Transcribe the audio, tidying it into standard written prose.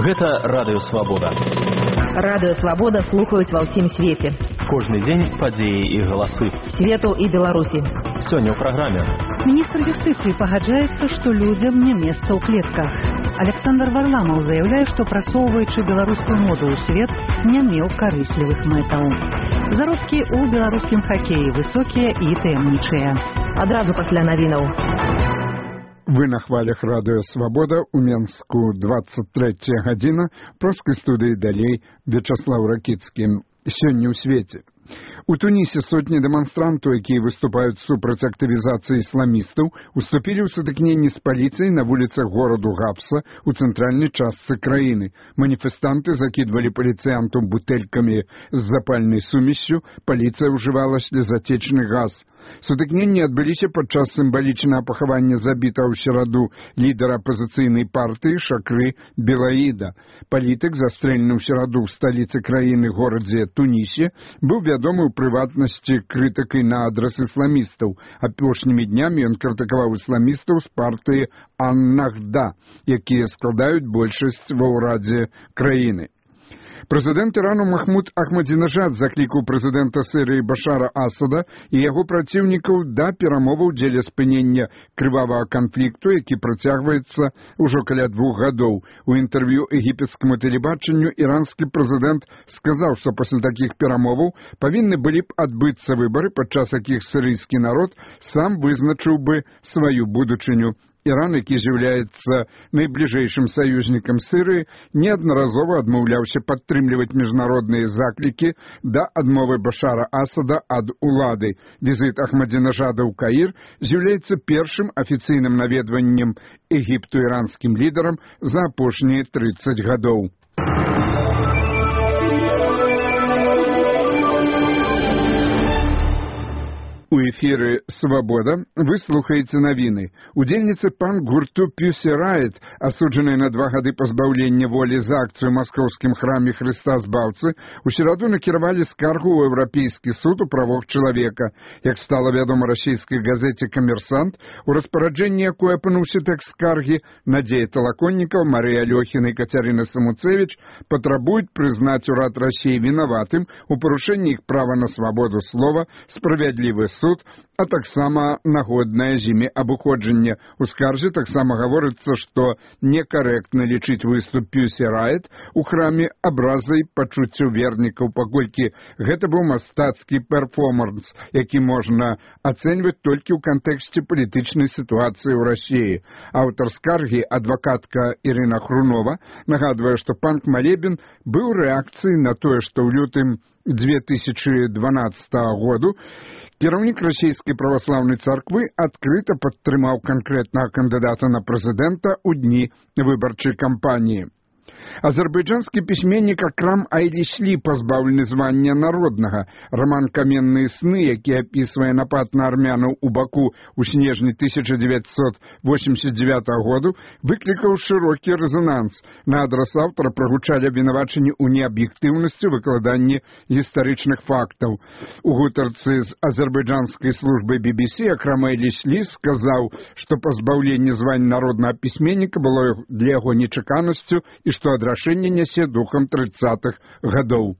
Гэта Радыё Свабода. Радыё Свабода слухаюць ва ўсім свеце. Кожны дзень падзеі і галасы. Свету і Беларусі. Сёння ў праграме. Міністр юстыцыі пагаджаецца, што людзям не месца ў клетках. Александр Варламаў заяўляе, што прасоўваючы беларускую моду ў свет, не меў карыслівых мэтаў. Заробкі ў беларускім хакеі высокія і таямнічыя. Адразу пасля навінаў. Вы на хвалях Радыё Свабода у Менску 23 гадзіна. Проскай студыі далей Вячаслаў Ракіцкі. Сёння ў свеце. У Тунісе сотні дэманстрантаў, якія выступаюць супраць актывізацыі ісламістаў, уступілі ў сутыкненні з паліцыяй на вуліцах гораду Гапса ў цэнтральнай частцы краіны. Маніфестанты закідвалі паліцыянтаў бутэлькамі з запальнай сумессю, паліцыя ўжывала слезатечны газ. Сутыкненні адбыліся падчас сімвалічнага пахавання забітага ў сераду лідара апазіцыйнай партыі Шакры Белаіда. Палітык, застрэлены ў сераду ў сталіцы краіны горадзе Тунісе, быў вядомы ў прыватнасці крытыкай на адрас ісламістаў. Апошнімі днямі ён крытыкаваў ісламістаў з партыі Ан-Нахда, якія складаюць большасць ва ўрадзе краіны. Прэзідэнт Ірану Махмуд Ахмадзінажад заклікаў прэзідэнта Сірыі Башара Асада і яго праціўнікаў да перамоваў дзеля спынення крывавага канфлікту, які працягваецца ўжо каля 2 гадоў. У інтэрв'ю егіпецкаму тэлебачанню іранскі прэзідэнт сказаў, што пасля такіх перамоваў павінны былі б адбыцца выбары, падчас якіх сірыйскі народ сам вызначыў бы сваю будучыню. Іран, які з'яўляецца найбліжэйшым саюзнікам Сірыі, неаднаразова адмаўляўся падтрымліваць міжнародныя заклікі да адмовы Башара Асада ад улады. Візіт Ахмадзінажада ў Каір з'яўляецца першым афіцыйным наведваннем Егіпту іранскім лідарам за апошнія 30 гадоў. У эфіры «Свабода» вы слухаеце навіны. Удзельніцы панк-гурту «Pussy Riot», асуджаныя на 2 гады пазбаўлення волі за акцыю ў маскоўскім храме Хрыста Збаўцы, у сераду накіравалі скаргу ў Еўрапейскі суд у правах чалавека. Як стала вядома расійскай газеце «Камерсант», у распараджэнні якой апынуўся тэкст скаргі, Надзея Талаконнікаў, Марыя Алёхіна і Кацярына Самуцевіч патрабуюць прызнаць урад Расіі вінаватым у парушэнні іх права на свабоду слова, справядлівы суд, а таксама нагоднае з імі абыходжанне. У скарзе таксама гаворыцца, што некарэктна лічыць выступ Pussy Riot у храме абразай пачуццяў вернікаў, паколькі гэта быў мастацкі перформанс, які можна ацэньваць толькі ў кантэксце палітычнай сітуацыі ў Расіі. Аўтар скаргі, адвакатка Ірына Хрунова, нагадвае, што панк-малебен быў рэакцыяй на тое, што ў лютым 2012 году кіраўнік расійскай праваслаўнай царквы адкрыта падтрымаў канкрэтнага кандыдата на прэзідэнта ў дні выбарчай кампаніі. Азербайджанскі пісьменнік Акрам Айліслі пазбаўлены звання народнага. Раман «Каменныя сны», які апісвае напад на армянаў у Баку ў снежні 1989 году, выклікаў шырокі рэзананс. На адрас аўтара прагучалі абвінавачанні ў неаб'ектыўнасці выкладанні гістарычных фактаў. У гутарцы з азербайджанскай службай BBC Акрам Айліслі сказаў, што пазбаўленне звання народнага пісьменніка было для яго нечаканасцю і што адрашэнне нясе духам 30-х гадоў.